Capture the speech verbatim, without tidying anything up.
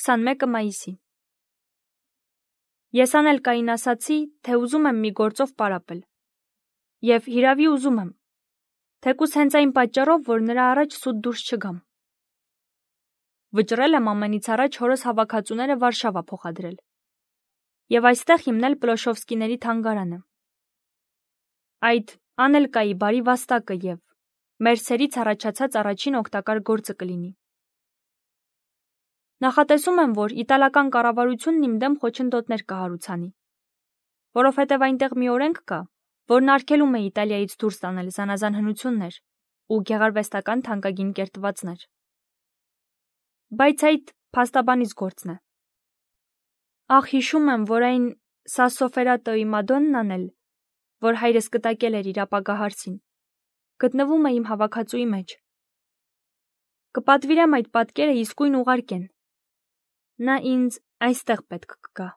քսանմեկը մայիսի։ Ես Անելկային ասացի, թե ուզում եմ մի գործով պարապել։ Եվ հիրավի ուզում եմ, թեկուզ հենց այն պատճառով, որ նրա առաջ սուտ դուրս չգամ։ Վճռել եմ ամենից առաջ հորս հավաքածուները Վարշավա փոխադրել և այստեղ հիմնել Պլոշովսկիների թանգարանը։ Այդ Անելկայի բարի վաստակը և մեր սերից առաջացած առաջին օգտակար գործը կլինի։ Նախատեսում եմ, որ իտալական կառավարությունն իմ դեմ խոչընդոտներ կհարուցանի, որովհետև այնտեղ մի օրենք կա, որն արգելում է Իտալիայից դուրս տանել զանազան հնություններ ու գեղարվեստական թանկագին կերտվածներ։ Բայց այդ փաստաբանից գործն է։ Ախ, հիշում եմ, որ այն Սասսոֆերատոյի Մադոննան էլ, որ հայրս կտակել էր իր ապագա հարսին, գտնվում է իմ հավաքածուի մեջ։ Կպատվիրեմ այդ պատկերը իսկույն ուղարկեն։ Նա ինձ այստեղ պետք կգա։